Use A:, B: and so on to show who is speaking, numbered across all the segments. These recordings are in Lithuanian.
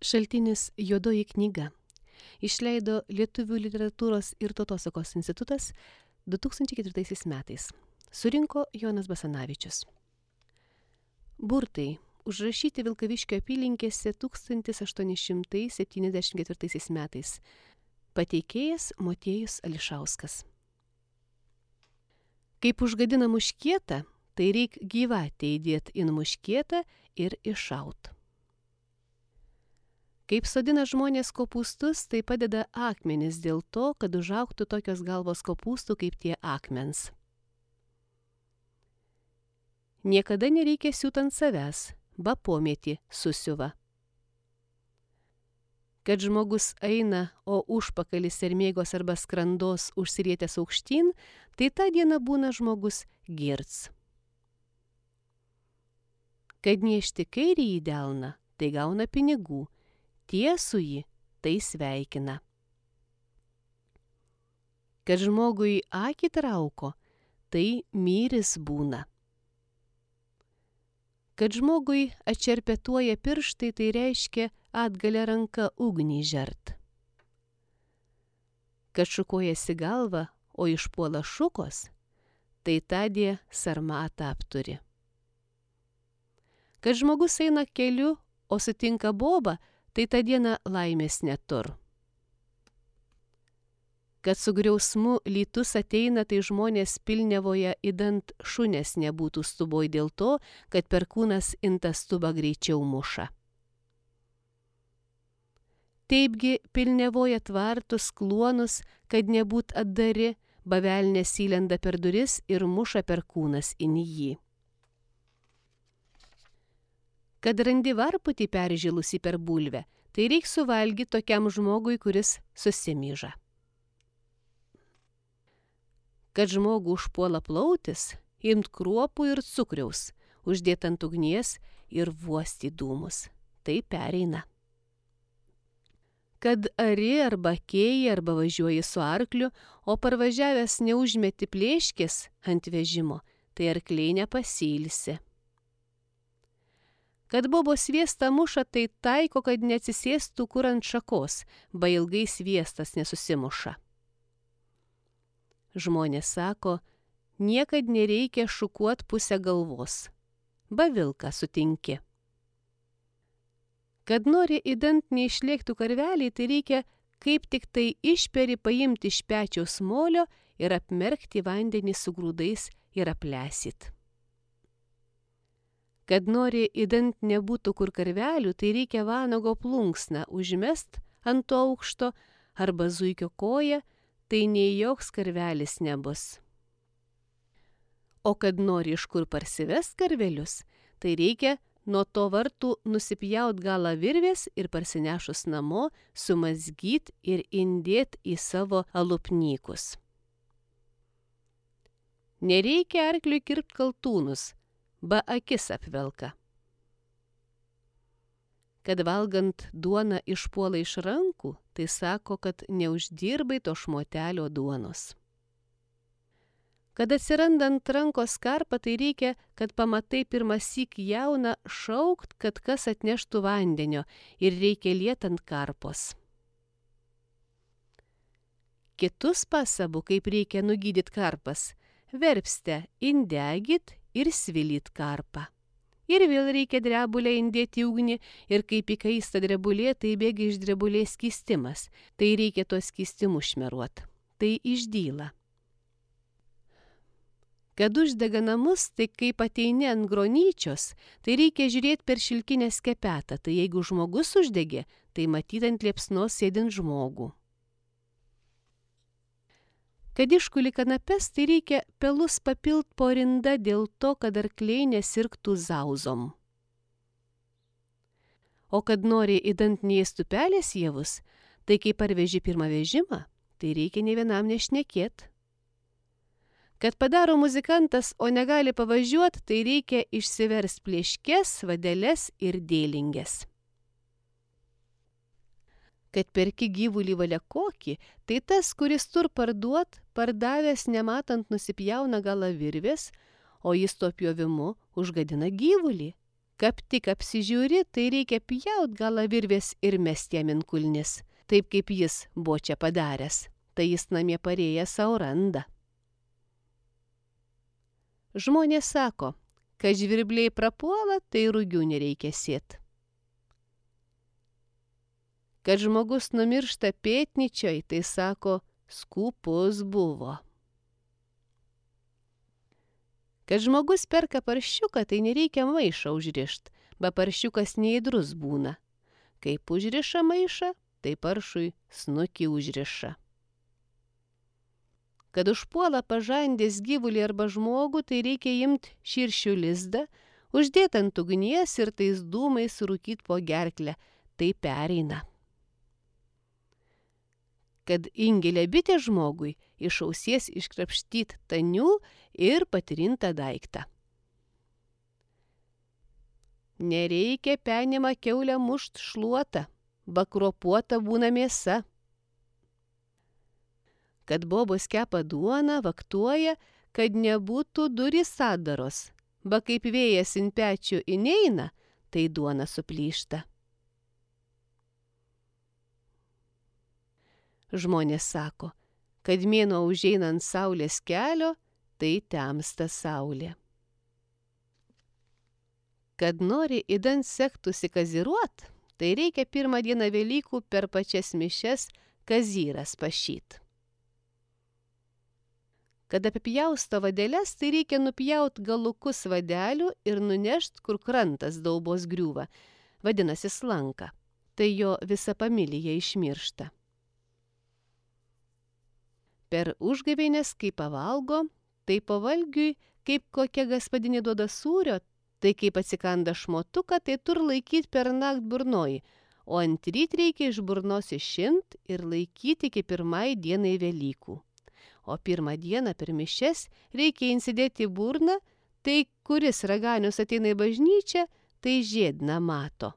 A: Šaltinis Juodoji knyga. Išleido Lietuvių literatūros ir tautosakos institutas 2004 metais. Surinko Jonas Basanavičius. Burtai užrašyti Vilkaviškio apylinkėse 1874 metais. Pateikėjas Motiejus Ališauskas. Kaip užgadina muškietą, tai reik gyvatę įdėt in muškietą ir iššaut. Kaip sodina žmonės kopūstus, tai padeda akmenis dėl to, kad užaugtų tokios galvos kopūstų kaip tie akmens. Niekada nereikia siūt ant savęs, ba pomėtį susiuva. Kad žmogus eina, o užpakalis sermėgos arba skrandos užsirietęs aukštyn, tai tą dieną būna žmogus girts. Kad niešti kairį į delną, tai gauna pinigų, tiesų jį tai sveikina. Kad žmogui akį trauko, tai myris būna. Kad žmogui atšerpetuoja pirštai, tai reiškia atgalia ranka ugnį žert. Kad šukuojasi galva, o išpuola šukos, tai tądie sarmatą apturi. Kad žmogus eina keliu, o sutinka bobą, tai tą dieną laimės netur. Kad su griausmu lytus ateina, tai žmonės pilnevoje įdant šunės nebūtų stuboj dėl to, kad perkūnas intą stubą greičiau muša. Taipgi pilnevoje tvartus kluonus, kad nebūt atdari, bavelnės įlenda per duris ir muša perkūnas in jį. Kad randi varputį peržilusį per bulvę, tai reik suvalgyti tokiam žmogui, kuris susimyža. Kad žmogų užpuola plautis, imt kruopų ir cukriaus, uždėt ant ugnies ir vuosti dūmus. Tai pereina. Kad ari arba kėji arba važiuoji su arkliu, o parvažiavęs neužmeti plėškės ant vežimo, tai arkliai nepasilsi. Kad bobo sviestą muša, tai taiko, kad neatsisėstų kur ant šakos, ba ilgai sviestas nesusimuša. Žmonės sako, niekad nereikia šukuot pusę galvos, ba vilką sutinki. Kad nori įdant neišlėktų karveliai, tai reikia kaip tik tai išperi paimti iš pečiaus molio ir apmerkti vandenį su grūdais ir aplesit. Kad nori įdant nebūtų kur karvelių, tai reikia vanago plunksną užmest ant to aukšto arba zuikio koją, tai nei joks karvelis nebus. O kad nori iš kur parsivest karvelius, tai reikia nuo to vartų nusipjaut galą virvės ir parsinešus namo sumazgyt ir indėt į savo alupnykus. Nereikia arkliui kirpt kaltūnus, ba akis apvelka. Kad valgant duoną išpuola iš rankų, tai sako, kad neuždirbai to šmotelio duonos. Kad atsirandant rankos karpą, tai reikia, kad pamatai pirmąsyk jauną šaukt, kad kas atneštų vandenio ir reikia liet ant karpos. Kitus pasabu, kaip reikia nugydyt karpas, verpste indegit ir svilyt karpą. Ir vėl reikia drebulę indėti ugnį ir kaip įkaista drebulė, tai bėga iš drebulės skystimas. Tai reikia to skystimu šmeruot. Tai išdyla. Kad uždega namus, tai kaip ateini ant gronyčios, tai reikia žiūrėti per šilkinę skepetą. Tai jeigu žmogus uždegė, tai matyt ant liepsnos sėdint žmogų. Kad iškuli kanapes, tai reikia pelus papilt po rinda dėl to, kad arkliai nesirgtų zauzom. O kad nori įdant neėstų pelės javus, tai kai parveži pirmą vežimą, tai reikia ne vienam nešnekėt. Kad padaro muzikantas, o negali pavažiuot, tai reikia išsivers plėškes, vadeles ir dėlingės. Kad perki gyvulį valia kokį, tai tas, kuris tur parduot, pardavęs nematant nusipjauna galą virvės, o jis to pjovimu užgadina gyvulį. Kap tik apsižiūri, tai reikia pjaut galą virvės ir mesti jam ant kulnis, taip kaip jis buvo čia padaręs, tai jis namie parėjęs sau randa. Žmonės sako, kad žvirbliai prapuola, tai rugių nereikia sėt. Kad žmogus numiršta pėtnyčioj, tai sako, skūpus buvo. Kad žmogus perka paršiuką, tai nereikia maišą užrišt, bet paršiukas neįdrus būna. Kaip užriša maišą, tai paršui snukį užriša. Kad užpuola pažandės gyvulį arba žmogų, tai reikia imt širšių lizdą, uždėt ant ugnies ir tais dūmais rūkyt po gerklę, tai pereina. Kad ingelė bitė žmogui, iš ausies iškrapštyt tanių ir patrintą daiktą. Nereikia penimą kiaulę mušt šluotą, bakropuota būna mėsa. Kad bobos kepa duoną, vaktuoja, kad nebūtų durys sadaros, ba kaip vėjas in pečių įneina, tai duona suplyšta. Žmonės sako, kad mėnuo užeina ant saulės kelio, tai temsta saulė. Kad nori idant sektųsi kaziruot, tai reikia pirmą dieną Velykų per pačias mišias kazyras pašyt. Kad apipjausto vadeles, tai reikia nupjaut galukus vadelių ir nunešt, kur krantas daubos griūva, vadinasi slanka, tai jo visa familija išmiršta. Per užgavėnes, kai pavalgo, tai pavalgiui, kaip kokia gaspadinė duoda sūrio, tai kaip atsikanda šmotuką, tai tur laikyt per nakt burnoji, o antryt reikia iš burnos išimt ir laikyti iki pirmai dienai Velykų. O pirmą dieną per mišias reikia insidėti į burną, tai kuris raganius ateina į bažnyčią, tai žiedną mato.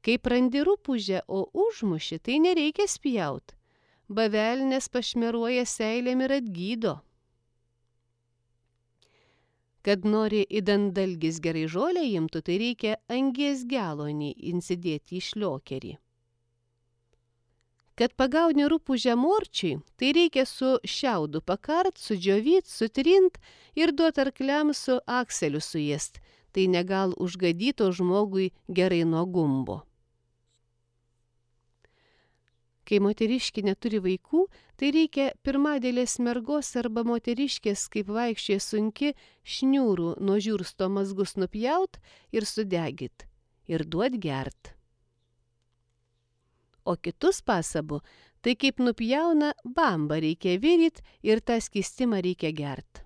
A: Kai prandi rupūžę, o užmuši, tai nereikia spjaut. Bavelnės pašmeruoja seilėm ir atgydo. Kad nori idant dalgis gerai žolę imtų, tai reikia angies gelonį insidėti į šliokerį. Kad pagauni rupūžę morčiui, tai reikia su šiaudu pakart, sudžiovyt, sutrint ir duot arkliam su akseliu suėst, tai negal užgadyto žmogui gerai nuo gumbo. Kai moteriškė neturi vaikų, tai reikia pirmadėlės mergos arba moteriškės, kaip vaikščioje sunki, šniūrų nuo žiursto mazgus nupjaut ir sudegit, ir duot gert. O kitus pasabu, tai kaip nupjauna, bambą reikia viryt ir tą skystimą reikia gert.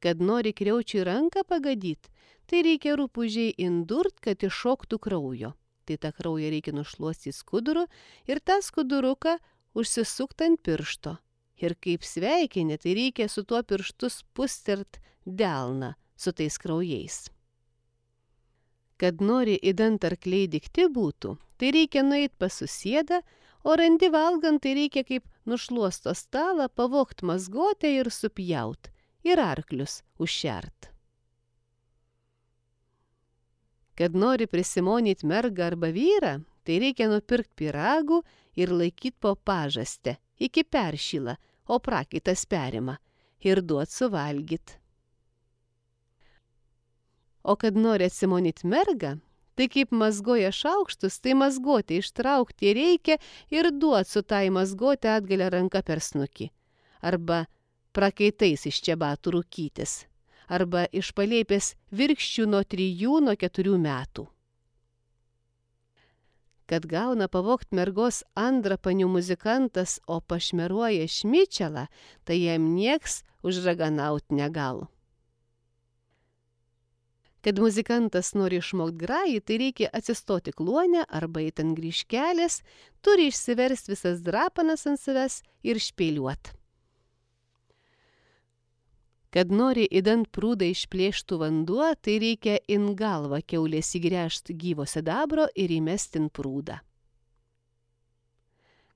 A: Kad nori kriaučiui ranką pagadyt, tai reikia rupūžiai indurt, kad iššoktų kraujo. Tai tą kraują reikia nušluostyti skuduru ir tą skuduruką užsisukt ant piršto. Ir kaip sveikinė, tai reikia su tuo pirštu spustert delną su tais kraujais. Kad nori idant arkliai dikti būtų, tai reikia nueit pas susėdą, o randi valgant, tai reikia kaip nušluosto stalą pavogt mazgotę ir supjaut, ir arklius užšert. Kad nori prisimonyt mergą arba vyrą, tai reikia nupirkt pyragų ir laikyt po pažastę, iki peršyla, o prakaitas perima, ir duot suvalgyt. O kad nori atsimonyt mergą, tai kaip mazgoja šaukštus, tai mazgotę ištraukti reikia ir duot su tai mazgotę atgalia ranka per snukį, arba prakaitais iš čebatų rūkytis, arba iš palėpės virkščių nuo 3–4 metų. Kad gauna pavogt mergos andrapanių muzikantas, o pašmeruoja šmičelą, tai jam nieks užraganaut negal. Kad muzikantas nori išmokt grajį, tai reikia atsistoti kluonę arba eit ant grįžkelės, turi išsiverst visas drapanas ant savęs ir špėliuot. Kad nori idant prūdą išplėštų vanduo, tai reikia in galvą kiaulės įgręžt gyvo sidabro ir įmest in prūdą.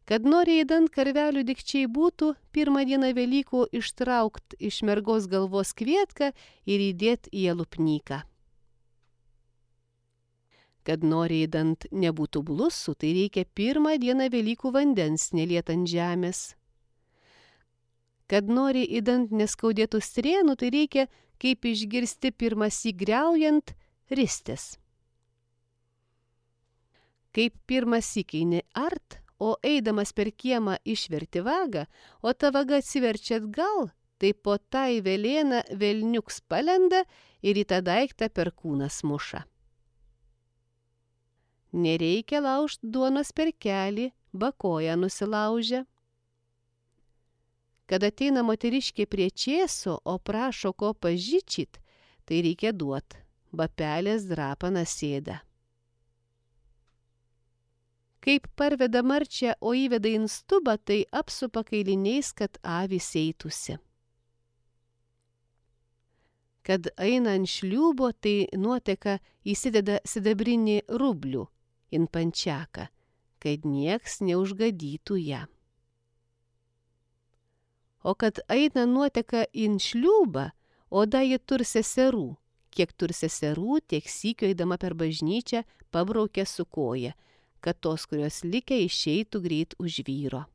A: Kad nori įdant karvelių dikčiai būtų, pirmą dieną Velykų ištraukt iš mergos galvos kvietką ir įdėt į alupnyką. Kad nori įdant nebūtų blusų, tai reikia pirmą dieną Velykų vandens neliet ant žemės. Kad nori įdant neskaudėtų strėnų, tai reikia, kaip išgirsti pirmąsyk griaujant, ristis. Kaip pirmąsyk eini art, o eidamas per kiemą išverti vagą, o ta vaga atsiverčia atgal, tai po tai velėna velniuks palenda ir į tą daiktą per kūną muša. Nereikia laužt duonos per kelį, bakoją nusilaužę. Kad ateina moteriškė prie čėso, o prašo ko pažyčyt, tai reikia duot, bapelės drapana sėda. Kaip parveda marčią, o įveda į stubą, tai apsupa kailiniais, kad avys eitųsi. Kad eina ant šliūbo, tai nuoteka įsideda sidabrinį rublių in pančiaką, kad nieks neužgadytų ją. O kad eina nuoteka in šliūbą, oda ji tur seserų. Kiek tur seserų, tiek sykio eidama per bažnyčią pabraukia su koja, kad tos, kurios likę, išeitų greit už vyro.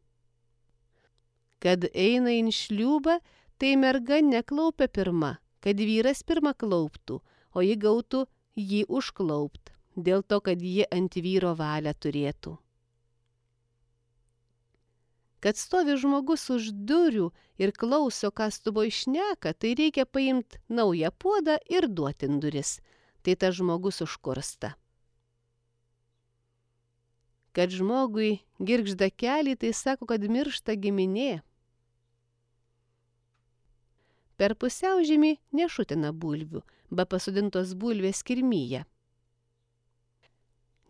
A: Kad eina in šliūbą, tai merga neklaupia pirma, kad vyras pirma klauptų, o ji gautų jį užklaupt, dėl to, kad ji ant vyro valią turėtų. Kad stovi žmogus už durų ir klauso, ką stubo išneka, tai reikia paimti naują puodą ir duoti duris, tai tas žmogus užkursta. Kad žmogui girgžda kelį, tai sako, kad miršta giminė. Per pusiaužiemį nešutina bulvių, be pasodintos bulvės kirmyje.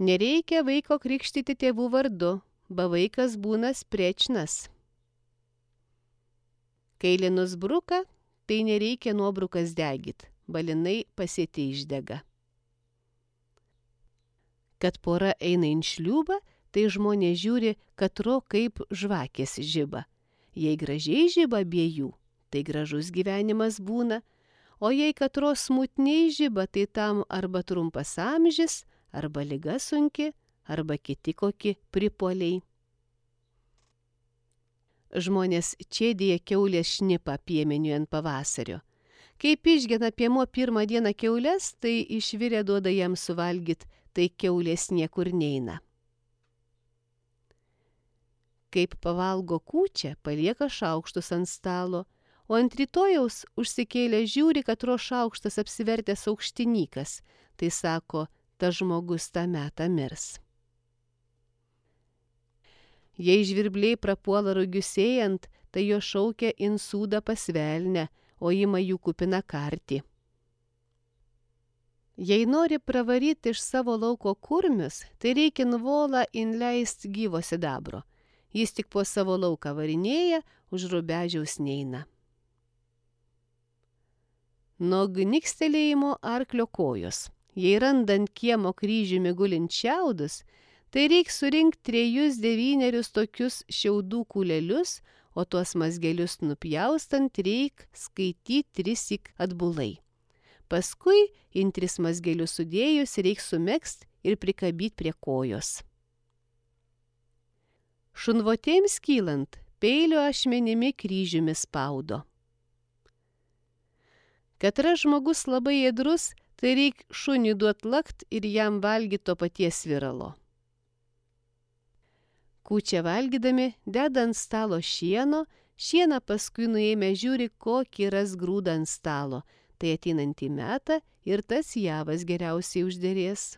A: Nereikia vaiko krikštyti tėvų vardu, be vaikas būna sprečnas. Kai linus bruka, tai nereikia nuobrukas degit, balinai pasėti išdega. Kad pora eina in šliūbą, tai žmonės žiūri, katro kaip žvakės žiba. Jei gražiai žiba abiejų, tai gražus gyvenimas būna, o jei katro smutniai žiba, tai tam arba trumpas amžis, arba liga sunki, arba kiti kokie pripuoliai. Žmonės čėdėja kiaulės šnipą piemeniui ant pavasario. Kaip išgena piemuo pirmą dieną kiaulės, tai išvirę duoda jam suvalgyt, tai kiaulės niekur neina. Kaip pavalgo kūčią, palieka šaukštus ant stalo, o ant rytojaus užsikėlė žiūri, kad ro šaukštas apsivertęs aukštinykas, tai sako, tas žmogus tą metą mirs. Jei žvirbliai prapuola rugiusėjant, tai jo šaukia insūdą pasvelnę, o ima jų kupina kartį. Jei nori pravaryti iš savo lauko kurmius, tai reikia nuvolą inleist gyvo sidabro. Jis tik po savo lauką varinėja, už rubežiaus neina. Nuo gnikstelėjimo arklio kojos. Jei randant kiemo kryžiumi gulint šiaudus, tai reik surinkti 3-9 tokius šiaudų kūlelius, o tuos mazgelius nupjaustant reik skaityti 3 atbulai. Paskui in 3 mazgelius sudėjus reik sumegzt ir prikabyti prie kojos. Šunvotėms kylant, peilio ašmenimi kryžiumi spaudo. Kad yra žmogus labai ėdrus, tai reik šunį duot lakt ir jam valgyti to paties viralo. Kūčią valgydami deda ant stalo šieno, šieną paskui nuėmę žiūri, kokį ras grūdą ant stalo, tai ateinantį metą ir tas javas geriausiai užderės.